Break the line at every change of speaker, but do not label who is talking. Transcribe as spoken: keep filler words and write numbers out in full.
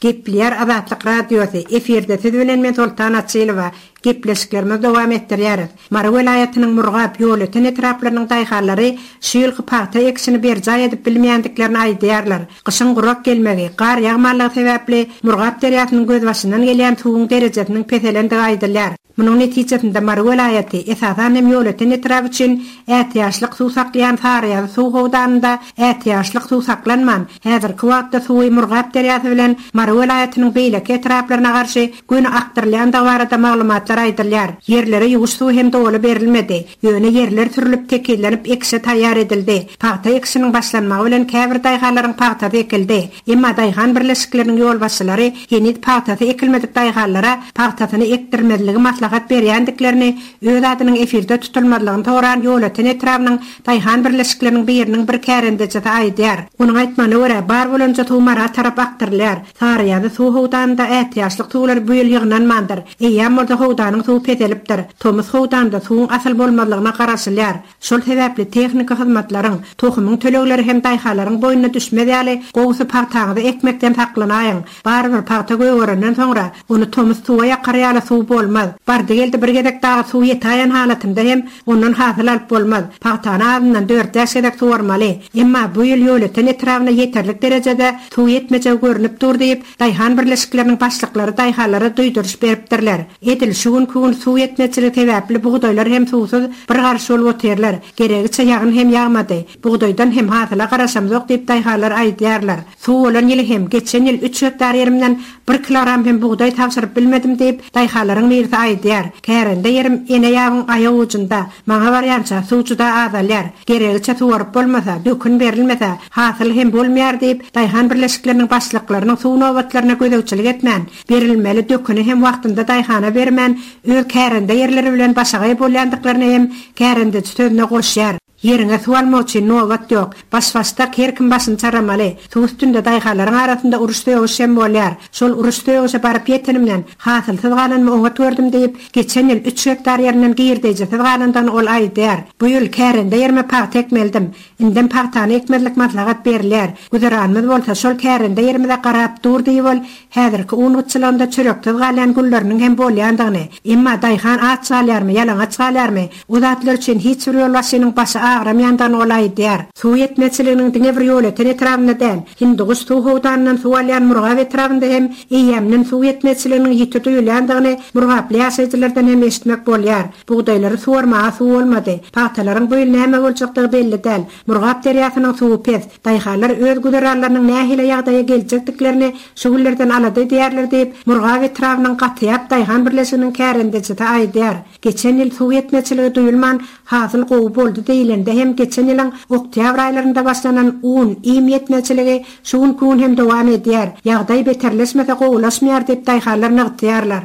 Gepleýär Azatlyk Radiosy, efirde siz bilen men Soltan Açylowa. Gepleşiklerimizi dowam etdirýäris. Mary welaýatynyň Murgap, Ýolöten etraplarynyň daýhanlary şu ýylky pagta ekişini berjaý edip bilmeýändiklerini aýdýarlar. Gyşyň gurak gelmegi, gar ýagmanlygy sebäpli Murgap derýasynyň gözbaşyndan gelýän suwuň derejesiniň peselendigi aýdylýar. Munuň netijesinde Mary welaýaty, esasan hem Ýolöten etraby üçin ätiýaçlyk suw saklaýan Saryýazy suw howdanynda ätiýaçlyk suw saklanman, häzirki wagtda suwy Murgap derýasy bilen Mary welaýatynyň beýleki etraplaryna garşy göni akdyrylýandygy barada maglumatlar aýdylýar. Ýerlere ýuwuş suwy hem doly berilmedi. Ýöne ýerler sürülip tekizlenip ekişe taýýar edildi. Pagta ekişiniň başlanmagy bilen käbir daýhanlaryň pagtasy ekildi. Emma daýhan birleşikleriniň ýolbaşçylary heniz pagtasy ekilmedik daýhanlara pagtasyny ekdirmezligi maslahat berýändiklerini öz adynyň efirde tutulmazlygyny soran Ýolöten etrabynyň daýhan birleşikleriniň biriniň bir kärendejisi aýdýar. Onuň aýtmagyna görä, bar bolanja suw Mara tarap akdyrylýar. Saryýazy suw howdanynda ätiýaçlyk suwlar bu ýyl ýygnanmandyr. Eýýäm bolsa howdanyň suwy peselipdir. Tomus howdanda suwuň asyl bolmazlygyna garaşylýar. Şol sebäpli tehniki hyzmatlaryň, tohumyň tölegleri hem daýhanlaryň boýnuna düşmez ýaly gowusy pagtaňyzy ekmekden saklanaýyň. Barybir pagta gögerenden soňra ony tomus suwa ýakar ýaly suw bolmaz. Bardy geldi bir gezek dagy suw ýetaýan halatynda hem ondan hasyl alyp bolmaz. Pagtany azyndan dört-bäş gezek suwarmaly. Emma bu ýyl Ýolöten etrabyna ýeterlik derejede suw ýetmejegi görünip dur diýip, daýhan birleşikleriniň başlyklary daýhanlara duýduryş beripdirler. Edil şu günkü gün suw ýetmezçiligi sebäpli bugdaýlar hem suwsuz bir garyş bolup otyrlar. Geregiçe ýagyn hem ýagmady. Bugdaýdan hem hasyla garaşamzok diýip daýhanlar aýdýarlar. Suw bolan ýyly hem geçen ýyl üç gektar ýerimden bir kilogram hem bugdaý tabşyryp bilmedim diýip daýhanlaryň birisi aýdýar. Kärende ýerim ene ýabyň aýak ujunda. Maňa barýança suw juda azalýar. Geregiçe suwaryp bolmasa, dökün berilmese, hasyl hem bolmaýar diýip daýhan birleşikleriniň başlyklarynyň suw nobatlaryna gözegçilik etmän, berilmeli döküni hem wagtynda daýhana bermän, öz kärende ýerleri bilen başagaý bolýandyklaryny hem kärendeçi sözüne goşýar. Ýeriňe suw almak üçin nobat ýok. Baş-başdak her kim başyny çaramaly. Suw üstünde daýhanlaryň arasynda uruş sögüş hem bolýar. Şol uruş sögüşe baryp ýetenimden hasylsyz galanymy oňat gördüm diýip, geçen ýyl üç gektar ýerinden girdejisiz galandygyny ol aýdýar. Bu ýyl kärende ýerime pagta ekmeldim. Indem pagtany ekmezlik maslahat berilýär. Güzeranymyz bolsa şol kärende ýerimize garap dur diýip ol häzirki un gytçylygynda çöreksiz galýan gülleriniň hem bolýandygyny, emma daýhan aç galýarmy, ýalaňaç galýarmy, o zatlar üçin hiç bir ýolbaşçynyň başy agramýandygyny ol aýdýar. Suw ýetmezçiliginiň diňe bir Ýolöten etrabynda däl, Hindiguş suw howdanyndan suw alýan Murgap etrabynda hem eýýämden suw ýetmezçiliginiň ýiti duýulýandygyny Murgaply ýaşaýjylardan hem eşitmek bolýar. Bugdaýlary suwarmaga suw bolmady. Pagtalaryň bu ýyl näme boljakdygy belli däl. Murgap derýasynyň suwy pes. Daýhanlar öz güzeranlarynyň nähili ýagdaýa geljekdiklerini şu günlerden alada edýärler diýip, Murgap etrabynyň Gatyýap daýhan birleşiginiň kärendejisi aýdýar. Geçen ýyl suw ýetmezçiligi duýulman hasyl gowy boldy diýilende hem geçen ýylyň oktýabr aýlarynda başlanan un, iým ýetmezçiligi şu günkü gün hem dowam edýär. Ýagdaý beterleşmese gowulaşmaýar diýip daýhanlar nygtaýarlar.